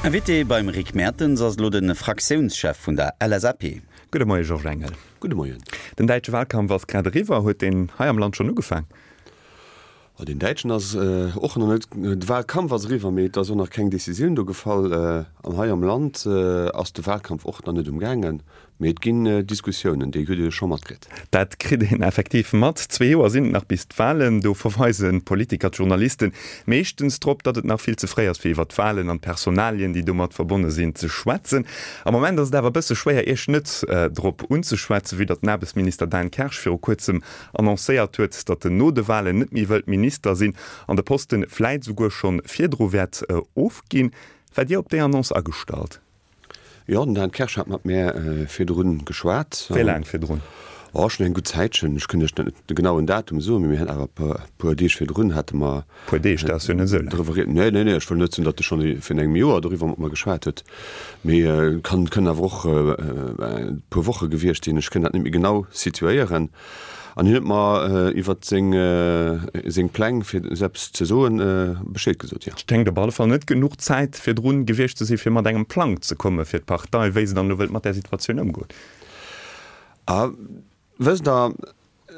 Invité beim Rick Mertens ass elo de Fraktiounschef vun der LSAP. Gudde Moie Georges Engel. Gudde Moien. Den däitsche Wahlkampf ass grad eriwwer. Huet deen hei am Land schonn ugefaang? Oh, deen däitschen ass och nach net, de Wahlkampf ass eriwwer, mee et ass och nach keng Decisioun do gefall. An hei am Land ass de Wahlkampf och nach net um gaangen. Mee et ginn Diskussiounen, déi hutt Dir jo scho matkritt. Dat kritt een effektiv mat. Zwee Joer sinn et nach bis d'Wahlen. Do verweisen d'Politiker, d'Journalisten meeschtens drop, datt et nach vill ze fréi ass, fir iwwer d'Wahlen an d'Personalien, déi domat verbonne sinn, ze schwätzen. Am Moment ass et awer e bësse schwéier, Iech net drop unzeschwätzen, vue datt den Aarbechtsminister Dan Kersch viru kuerzem annoncéiert huet, datt en no de Wahlen net méi wëllt Minister sinn an de Posten vläit esouguer schonn virdru wäert ofginn. Waart Dir op déi Annonce agestallt? Jo, den Dan Kersch hat mat mär virdrun geschwat. Wéi laang virdrun? Oh, schonn eng gutt Zäitchen. Ech kënnt Iech net de genauen Datum soen, mee mir haten awer e puer Deeg virdrun hate mer. Puer Deeg, dat ass jo net esou laang. Driwwer ried. Nee, nee, nee, ech wëll net soen, datt e schonn virun engem Joer doriwwer mat mer geschwat huet, mee et kann, kënnen awer och e puer Woche gewiescht sinn. Ech kënn dat net méi genau situéieren. An hien huet mer iwwert seng seng Pläng fir esou eppes ze soen Bescheed gesot, jo. Et schéngt op alle Fall net genuch Zäit virdrun gewiescht ze sinn, fir mat engem Plang ze komme fir d'Partei, wéi se dann elo wëllt mat där Situatioun ëmgoen. A wësst Der,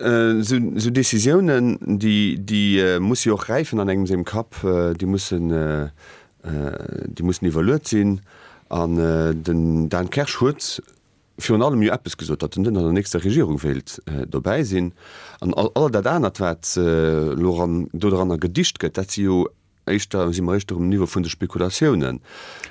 esou esou Décisiounen, déi déi musse jo och räifen an engem sengem Kapp, déi mussen déi mussen iwwerluet sinn. An den Dan Kersch huet virun allem jo eppes gesot, datt en net an der nächster Regierung wéilt dobäi sinn. An all dat anert, wat elo eran doranner gedicht gëtt, dat si jo éischter, si mer éischter um Niveau vun de Spekulatiounen.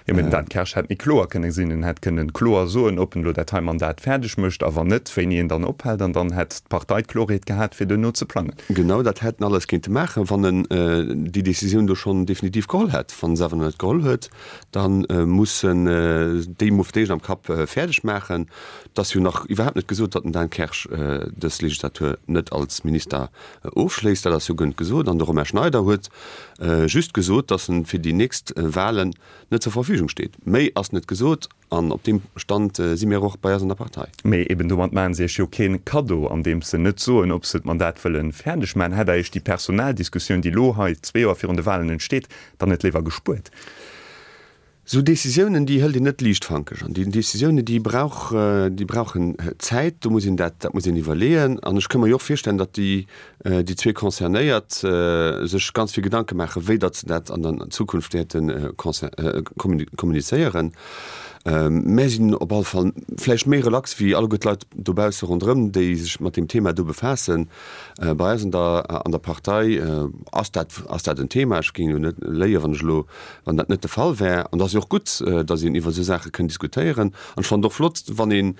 Jo, mä den Dan Kersch hätt méi kloer kënne sinn. En hätt kënnen kloer soen, ob en elo dat hei Mandat fäerdeg mécht a wann net, wéini en dann ophält. An dann hätt d'Partei d'Klorheet gehat, fir duerno ze plangen. Genau dat hätt en alles kéinte maachen, wann en déi Décisioun do schonn definitiv geholl hätt. Wann en se awer nach net geholl huet, Da muss en déi mol fir d'éischt am Kapp fäerdeg maachen. Et ass jo nach iwwerhaapt net gesot, datt den Dan Kersch dës Legislatur net als Minister ofschléisst. Dat ass jo guer net gesot. An de Romain Schneider huet just gesot, datt en fir déi nächst Wahlen net zur Verfügung steet. Méi ass net gesot an op deem Stand si mir och bei eis an der Partei. Mee eben domat maachen se iech jo keen Kaddo, andeems se net soen, ob se d'Mandat wëllen fäerdeg maachen. Hätt der iech déi Personaldiskussioun, déi elo hei zwee Joer virun de Wahlen entsteet, dann net léiwer gespuert? Esou Décisiounen, déi hëlt een net liichtfankeg. An déi Décisiounen, déi brauch, déi brauchen Zäit. Do muss een dat, dat muss een iwwerleeën. An ech ka mer jo och virstellen, datt déi, déi zwee Concernéiert sech ganz vill Gedanke maachen, wéi datt se dat an der Zukunft wäerte kommunizéieren. Mär sinn op alle Fall vläicht méi relax wéi alleguer d'Leit dobausse ronderëm, déi sech mat deem Thema do befaassen. Bei eis an der an der Partei ass dat ass dat en Thema. Ech géing jo net léien, wann ech elo wann dat net de Fall wär. An et ass jo och gutt, datt een iwwer esou Saache kënn diskutéieren. An ech fannen et och flott, wann een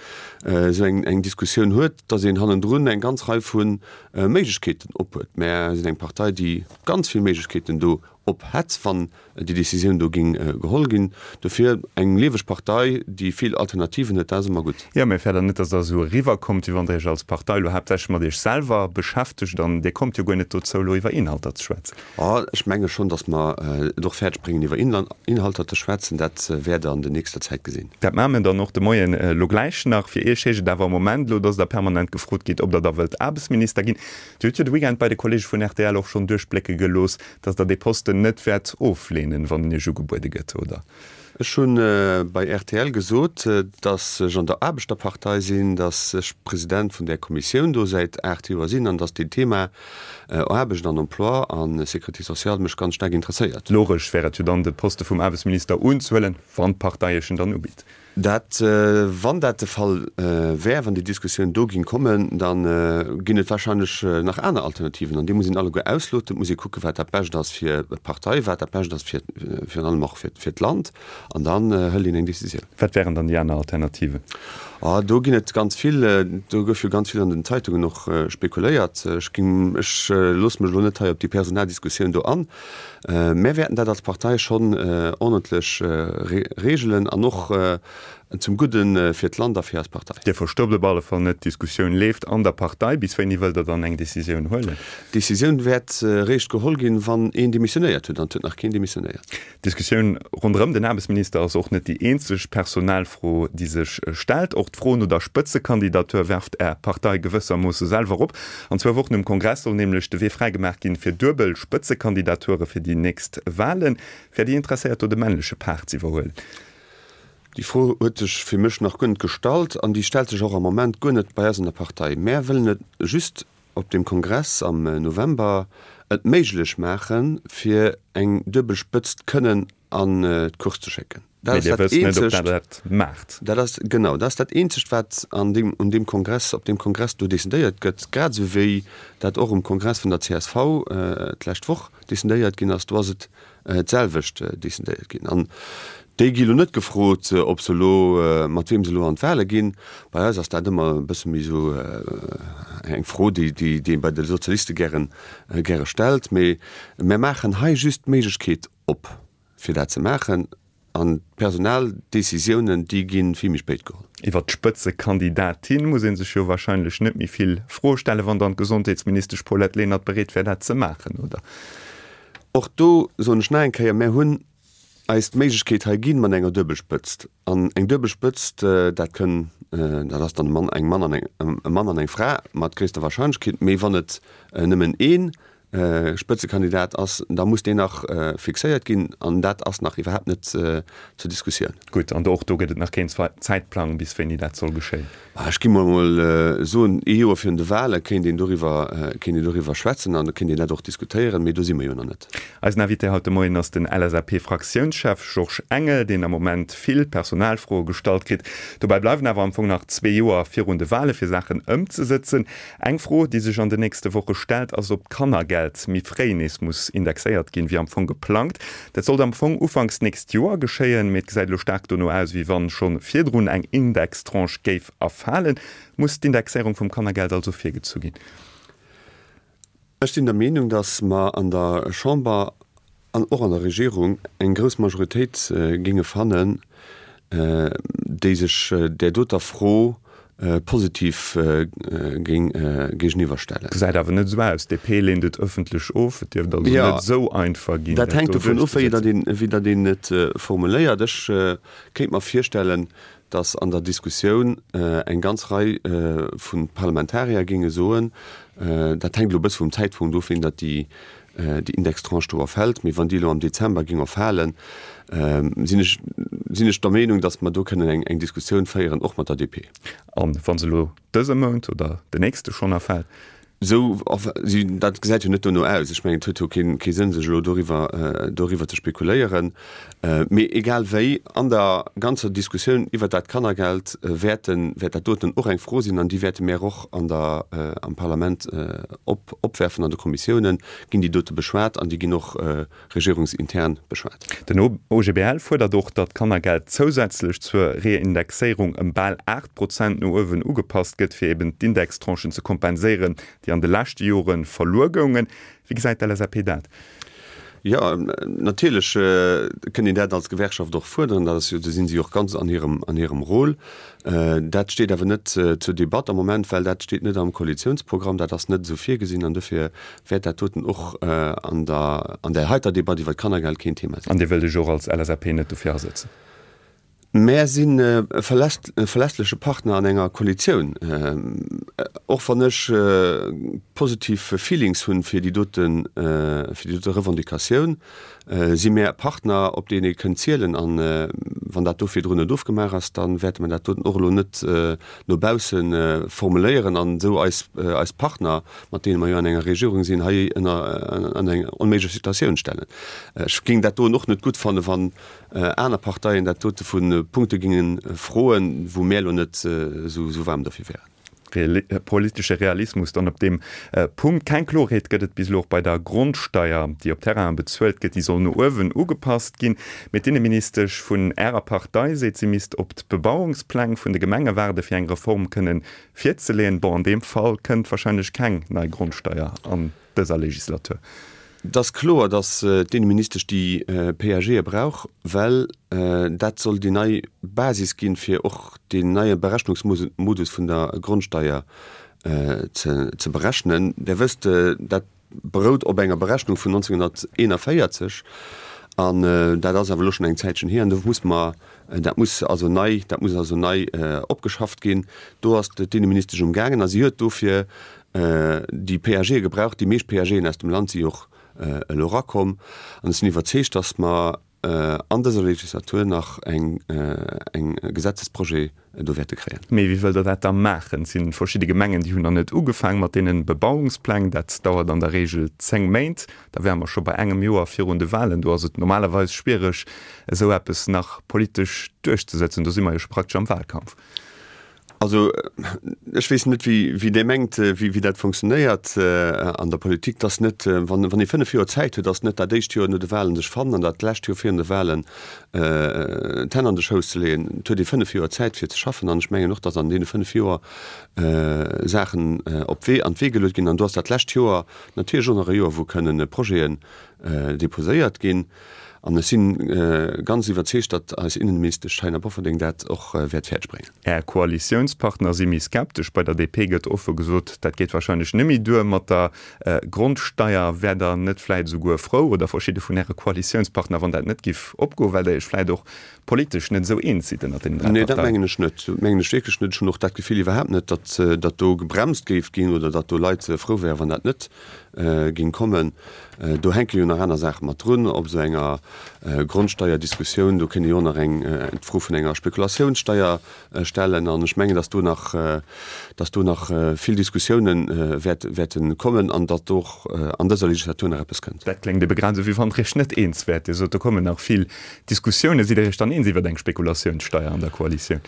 esou eng eng Diskussioun huet, datt een hannendrun eng ganz Rei vu Méiglechkeeten ophuet. Mär sinn eng Partei, déi ganz vill Méiglechkeeten do op hätt, wann déi Décisioun do géing geholl ginn. Dofir eng lieweg Partei, déi vill Alternativen huet, dat ass ëmmer gutt. Jo, mä fäert Der net, datt Der esou eriwwerkommt, wéi wann Der Iech als Partei elo haaptsächlech mat Iech selwer beschäftegt an Dir kommt jo guer net dozou, elo iwwer Inhalter ze schwätzen? Oh, ech menge schonn, datt mer et och fäerdeg bréngen, iwwer Inhalter ze schwätzen. Dat wäert Der an der nächster Zäit gesinn. Dat maache mir dann och de Moien elo gläich nach. Fir Iech heescht et awer am Moment elo, datt Der permanent gefrot gitt, ob Der da wëllt Aarbechtsminister ginn. Dir hutt jo de Weekend bei de Kollege vun rtl och schonn duerchblécke gelooss, Dass Der dee Posten net wäert ofleenen, wann en Iech ugebuede gëtt, oder? Ech hu bei rtl gesot, dass ech an der Aarbechterpartei sinn, dass ech President vun där Kommissioun do säit 8 Joer sinn an dass deen Thema Aarbecht an Emploi a Sécurité sociale mech ganz staark interesséiert. Logesch wär et jo dann, de Poste vum Aarbechtsminister unzehuelen, wann d'Partei Iech en dann ubitt. Dat, wann dat de Fall wär, wann déi Diskussioun do géing kommen, da ginn et wahrscheinlech nach aner Alternativen an déi muss een alleguer ausloten. Et muss ee kucken, wat dat Bescht ass fir d'Partei, wat dat Bescht ass fir, virun allem och fir, fir d'Land an dann hëlt een eng Décisioun. Wat wären dann déi aner Alternativen? Oh, do ginn et ganz vill. Do gouf jo ganz vill an den Zeitungen och spekuléiert. Ech ginn, ech loosse mech elo net hei op déi Personaldiskussioun do an. Mär wäerten dat als Partei schonn ordentlech regelen an och. Zum Gudde fir d'Land a fir eis Partei. Dir verstoppt op alle Fall net, d'Diskussioun leeft an der Partei. Bis wéini wëllt Der dann eng Decisioun huelen? D'Decisioun wäert eréischt geholl ginn, wann een demissionéiert huet. An et huet nach keen demissionéiert. D'Diskussioun ronderëm den Aarbechtsminister ass och net déi eenzeg Personalfro, déi sech stellt. Och d'Fro no der Spëtzekandidatur werft Är Partei gewëssermoosse selwer op. An zwou Wochen um Kongress soll nämlech de Wee fräigemaach ginn fir duebel Spëtzekandidature fir déi nächst Walen. Wäert Dir interesséiert, do de männleche Part z'iwwerhuelen? Déi Fro huet sech fir mech nach guer net gestallt an déi stellt sech och am Moment guer net bei eis an der Partei. Mär wëllen et just op deem Kongress am November et méiglech maachen, fir eng duebel Spëtzt kënnen an d'Course ze schécken. Dat ass dat Eenzegt, dat ass, genau, dat ass dat Eenzegt, wat an deem, un deem Kongress, op deem Kongress do decidéiert gëtt, grad esou wéi dat och um Kongress vun der csv d'lescht Woch decidéiert ginn ass. Do ass et d'selwecht decidéiert ginn. An déi gi lo net gefrot, ob se elo, mat weem se elo an d'Wahle ginn. Bei eis ass dat ëmmer e bësse méi esou eng Fro, déi déi ee bei de Sozialiste gären, gäre stellt. Mee mär maachen hei just d'Méiglechkeet op, fir dat ze maachen. An d'Personaldecisiounen, déi gi vill méi spéit geholl. Iwwert d'Spëtzekandidatin muss ee sech jo wahrscheinlech net méi vill Froe stellen, wann dann d'Gesondheetsministesch Paulette Lenert bereet wär, dat ze maachen, oder? Och do soen ech nach eng Kéier, Mär hunn eis d'Méiglechkeet hei ginn mat enger Duebelspëtzt. An eng Duebelspëtzt, dat kënn, dat ass dann e Mann, eng Mann an eng, e Mann an eng Fra mat gréisster Wahrscheinlechkeet. Mee wann et nëmmen ee Spëtzekandidat ass, da muss deen nach fixéiert ginn an dat ass nach iwwerhaapt net zur Diskussioun. Gutt, an och do gëtt et nach keen Zäitplang, bis wéini dat soll geschéien? Ech gi mol emol soen, ee Joer virun de Wale kéint een doriwwer, kéint een doriwwer schwätzen an da kéint een dat och diskutéieren, mee do si mer jo nach net. Eisen Invité haut de Moien ass den LSAP-Fraktiounschef Georges Engel, deen am Moment vill Personalfroe gestallt kritt. Dobäi bleiwen awer am Fong nach zwee Joer virun de Wale fir Saachen ëmzesëtzen. Eng Fro, déi sech an den nächste Woche stellt, ass, ob d'Kannergeld méi fréi nees muss indexéiert ginn, wéi am Fong geplangt. Dat sollt am Fong ufanks d'nächst Joer geschéien, mee et gesäit elo staark dono aus, wéi wann schonn virdrun eng Indextranche géif erfalen. Muss d'Indexéierung vum Kannergeld also virgezu ginn? Ech sinn der Meenung, datt mer an der Chamber an och an der Regierung eng grouss Majoritéit géinge fannen, déi sech där doter Fro positiv géing géigeniwwer stellen. Gesäit awer net esou aus. D'DP leent et ëffentlech of. Et dierft also net esou einfach ginn, dat do duerchzesetzen. Dat hänkt dovun of, wéi datt een et formuléiert. Ech kéint mer virstellen, datt an der Diskussioun eng ganz Rei vu Parlamentarier géinge soen, dat hänkt elo e bësse vum Zäitpunkt of, wéini datt déi Indextranche do erfält, mee wann déi elo am Dezember géing erfalen, sinn ech, sinn ech der Meenung, datt mer do kënnen eng Diskussioun féieren, och mat der DP. A wa se elo dëse Mount oder den nächste schonn erfält? Esou, dat gesäit jo net dono aus. Ech mengen, et huet jo kee Sënn, sech elo doriwwer, doriwwer ze spekuléieren. Mee egal wéi, an der ganzer Diskussioun iwwert dat Kannergeld wäerten, wäert dat doten och eng Fro sinn an déi wäerte mär och an der, am Parlament op, opwerfen. An de Kommissiounen ginn déi dote beschwat an déi ginn och regierungsintern beschwat. Den OGBL fuerdert och, datt d'Kannergeld zousätzlech zur Reindexéierung ëm bal 8 Prozent no uewen ugepasst gëtt, fir eben d'Indextranchen ze kompenséieren, déi an de leschte Jore verluer goungen. Wéi gesäit d'LSAP dat? Jo, natierlech kënnt een dat als Gewerkschaft och fuerderen. Dat ass jo, do si si och ganz an hirem, an hirem Rôle. Dat steet awer net zur Debatt am Moment, well dat steet net am Koalitiounsprogramm, dat ass net esou virgesinn an dofir wäert dat doten och an der, an där heiter Debatt iwwer d'Kannergeld keen Thema sinn. An Dir wëllt Iech och als LSAP net dofir asëtzen? Mär sinn e verlässleche Partner an enger Koalitioun. Och wann ech positiv Feelings hunn fir déi doten, fir déi dote Revendicatioun, si mär e Partner, op deen ee kënnt zielen. An wann dat do virdrun net ofgemaach ass, da wäerte mer dat doten och elo net no bausse formuléieren an esou eis, eis Partner, mat deene mer jo an enger Regierung sinn, hei ënner an eng onméiglech Situatioun stellen. Ech géing dat doen och net gutt fannen, wann aner Parteien dat dote vu Punkte géinge froen, wou mär elo net esou waarm dofir wären. Politesche Realismus dann op deem Punkt. Keng Klorheet gëtt et bis elo och bei der Grondsteier, déi op Terrainen bezuelt gëtt. Déi soll no uewen ugepasst ginn. Mee d'Inneministesch vun Ärer Partei seet, si misst op d'Bebauungspläng vun de Gemenge waarde fir eng Reform kënnen Virzeleeën. Bon, an deem Fall kënnt wahrscheinlech keng nei Grondsteier an dëser Legislatur. Et ass kloer, datt d'Inneministesch déi PAGe brauch, well dat soll déi nei Basis ginn, fir och deen neie Berechnungsmodus vun der Grondsteier ze berechnen. Där wësst, dat berout op enger Berechnung vun 1941 an dat ass awer elo schonn eng Zäitchen hier an do muss mer, dat muss also nei, dat muss also nei opgeschafft ginn. Do ass d'Inneministesch umgaangen a si huet dofir déi PAGe gebraucht. Déi meescht PAGen aus dem Land si och elo erakomm an ech sinn iwwerzeegt, datt mer an dëser Legislatur nach eng Gesetzesprojet do wäerte kréien. Mee wéi wëllt Der dat da maachen? Et si verschidde Gemengen, déi hunn nach net ugefaang mat deene Bebauungspläng. Dat dauert an der Regel 10 Méint. Da wäre mer scho bei engem Joer virun de Wahlen. Do ass et normalerweis schwiereg, esou eppes nach politesch duerchzesëtzen. Do si mer jo scho praktesch am Wahlkampf. Also, ech weess net, wéi Dir mengt, wéi dat funktionéiert an der Politik, dass net, wann ee 5 Joer Zäit huet, dass net dat éischt Joer no de Wahlen sech fannen an dat lescht Joer virun de Wahlen d'Hänn an de Schouss ze leeën. Et huet ee 5 Joer Zäit fir ze schaffen an ech mengen och, dass an deene 5 Joer Saachen op d'Wee, an d'Wee geluet ginn. An do ass dat lescht Joer natierlech och nach e Joer, wou kënnen Projeten deposéiert ginn. An ech si ganz iwwerzeegt, datt eis Innenministesch Taina Bofferding dat och wäert fäerdeg bréngen. Är Koalitiounspartner si méi skeptesch. Bei der DP gëtt offe gesot, dat geet wahrscheinlech net méi duer mat der Grondsteier. Wäert Der net vläit esouguer frou, oder verschidde vun Äre Koalitiounspartner, wann dat net giff opgoen, well Der Iech vläit och politesch net esou eens sidd ënnert deenen 3 Parteien? Nee, dat mengen ech net. Dat mengen ech wierklech net. Ech hunn och dat Gefill iwwerhaapt net, datt datt do gebremst géif ginn oder datt do Leit frou wären, wann dat net géing kommen. Do hänke jo nach aner Saache mat drun op esou enger Grondsteierdiskussioun. Do kéint ee jo och nach eng d'Fro vun enger Spekulatiounssteier stellen. An ech mengen, datt do nach, datt do nach vill Diskussiounen wäert, wäerte kommen an datt och an dëser Legislatur nach eppes kënnt. Dat kléngt ebe grad esou, wéi wann Der Iech net eens wäert. Dir sot, do kommen nach vill Diskussiounen. Sidd Der Iech dann eens iwwer eng Spekulatiounssteier an der Koalitioun?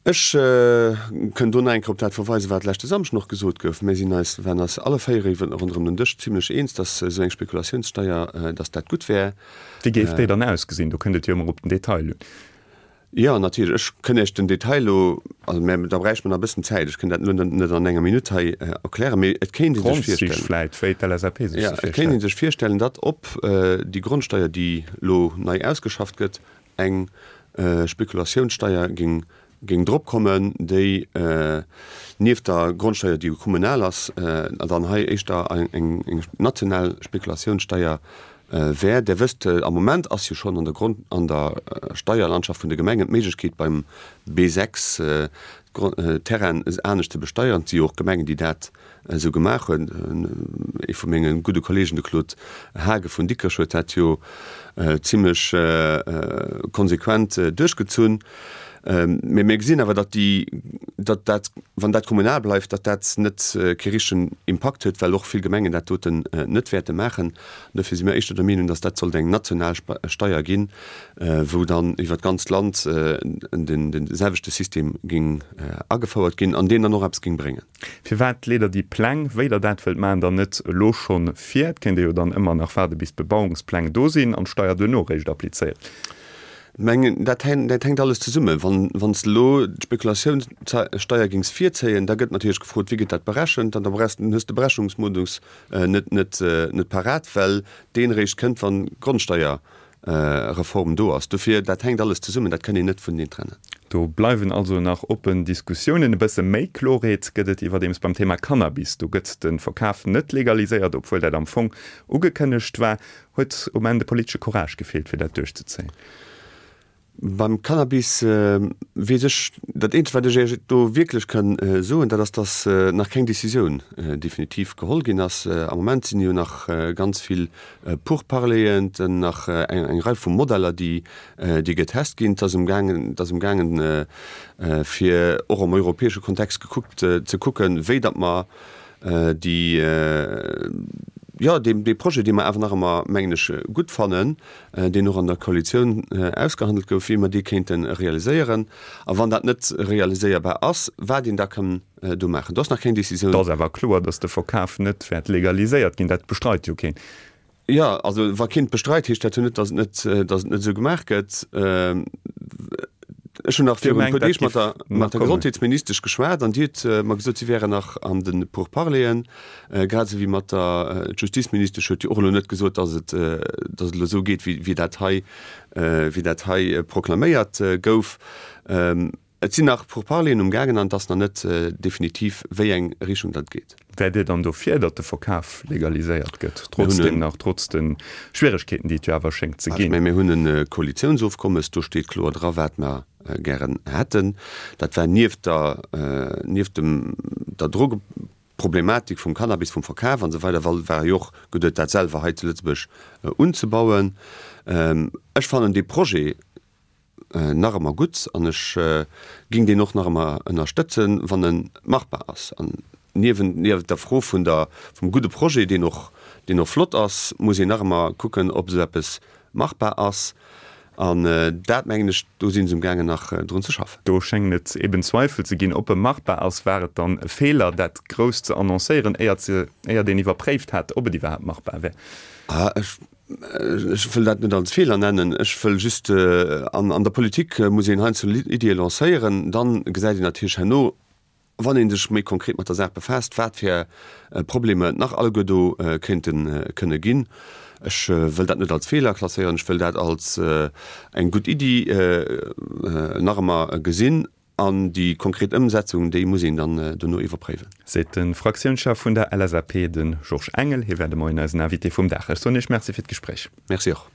Ech kënn do nach eng Kéier op dat verweisen, wat leschte Samschden och gesot gouf. Mir sinn eis, waren eis alle véiere ronderëm den Dësch zimlech eens, dass esou eng Spekulatiounssteier, dass dat gutt wär. Wéi géif déi dann ausgesinn? Do kënnt et jo ëmmer op den Detail un. Jo, natierlech. Ech kënn Iech den Detail elo, also mä da bräicht mer nach e bëssen Zäit. Ech kënn dat elo net an enger Minutt hei erklären, mee et kéint ee sech virstellen. D'Grondzich vläit, wéi d'LSAP sech se virstellt. Jo, et kéint ee sech virstellen, datt op déi Grondsteier, déi elo nei ausgeschafft gëtt, eng Spekulatiounssteier géing géing drop kommen, déi nieft der Grondsteier, déi jo kommunal ass, dann hei éischter eng national Spekulatiounssteier wär. Där wësst, am Moment ass jo schonn an der Grond, an der Steierlandschaft vun de Gemengen d'Méiglechkeet beim B6 d'Terrainen anescht ze besteieren. Et si jo och Gemengen, déi dat esou gemaach huet. Ee vu menge gudde Kollegen, de Claude Haagen vun Dikrech, huet dat jo zimlech konsequent duerchgezunn. Mee mir gesinn awer, datt déi, datt dat, wann dat kommunal bleift, datt dat net kee richtegen Impakt huet, well och vill Gemengen dat doten net wäerte maachen. Dofir si mir éischter der Meenung, datt dat sollt eng national Steier ginn, wou dann iwwer d'ganzt Land den selwechte System géing agefouert ginn an deen dann och eppes géing bréngen. Firwat leet Der déi Pläng, wéi Der dat wëllt maachen, dann net elo schonn vir? Et kéint ee jo dann ëmmer nach waarde bis d'Bebauungspläng do sinn an d'Steier duerno eréischt applizéieren. Mengen, dat hänkt alles zesummen. Wann s de elo d'Spekulatiounssteier géings virzéien, da gëtt natierlech gefrot, wéi gëtt dat berechent? An da hues de Berechnungsmodus net parat, well deen eréischt kënnt, wann d'Grondsteier Reform do ass. Dofir, dat hänkt alles zesummen, dat kann een net vuneneen trennen. Do bleiwen also nach oppen Diskussiounen. E bësse méi Klorheet gëtt et iwwerdeems beim Thema Cannabis. Do gëtt de Verkaf net legaliséiert, obwuel dat am Fong ugekënnegt war. Huet um Enn de politesche Courage gefeelt, fir dat duerchzezéien? Beim Cannabis weess ech, dat eenzegt wat ech Iech do wierklech kann soen, dat ass, datt nach keng Décisioun definitiv geholl ginn ass. Am Moment sinn jo nach ganz vill Pourparleren, nach eng Rei vu Modeller, déi getest ginn. Et ass emgaangen, et ass emgaangen fir och am europäesche Kontext gekuckt ze kucken, wéi datt mer déi, jo, dee Projet, dee mer awer nach ëmmer, mengen ech, gutt fannen, deen och an der Koalitioun ausgehandelt gouf, wéi mer dee kéinte realiséieren. A wann dat net realiséierbar ass, wat een da kann do maachen. Do ass nach keng Décisioun. Et ass awer kloer, datt de Verkaf net wäert legaliséiert ginn. Dat bestreit jo keen. Jo, also wa keen et bestreit, heescht dat jo net, datt et net, datt et net esou gemaach gëtt. Ech hunn nach virun e puer Deeg mat der, mat der Gesondheetsministesch geschwat an déi huet mer gesot, si wären nach an de Pourparleren, grad esou wéi mat der Justizministesch huet déi och elo net gesot, datt et, datt et elo esou geet, wéi, wéi dat hei, wéi dat hei proklaméiert gouf. Et sinn nach Pourparleren um gaangen an et ass nach net definitiv, wéi eng Richtung dat geet. Wäert Dir dann dofir, datt de Verkaf legaliséiert gëtt, trotzdem nach, trotz de Schwieregkeeten, déi et jo awer schéngt ze ginn? Mä mir hunn e Koalitiounsofkommes, do steet kloer dra wat mer gären hätten. Dat war nieft der, nieft dem, der Drogeproblematik vum Cannabis, vum Verkaf an esou weider, war jo och geduet, dat selwer hei zu Lëtzebuerg unzebauen. Ech fannen dee Projet, nach ëmmer gutt an ech ging deen och nach ëmmer ënnerstëtzen, wann en machbar ass. An niewent niewent der Fro vun der vum gudde Projet, deen och deen och flott ass, muss een nach ëmmer kucken, ob esou eppes machbar ass. An dat mengen ech, do si se umgaangen nach drun ze schaffen. Do schéngen et eben Zweifel ze ginn, ob e machbar ass. War et dann e Feeler, dat grouss ze annoncéieren, éiert se éiert een iwwerpréift hat, ob et iwwerhaapt machbar wär? Ech Ech wëll dat net als Feeler nennen. Ech wëll just, an der Politik muss een heiansdo Iddie lancéieren, dann gesäit een natierlech herno, wann ee sech méi konkret mat der Saach befaasst, wat fir Problemer et nach alleguer do kéinte kënne ginn. Ech wëll dat net als Feeler klasséieren, ech wëll dat als eng gutt Iddi nach ëmmer gesinn. An déi konkret Ëmsetzung, déi muss een dann dono iwwerpréiwen. Seet de Fraktiounschef vun der LSAP, de Georges Engel. Hie war de Moien eisen Invité vum Dag. Ech soen Iech Merci fir d'Gespréich. Merci och.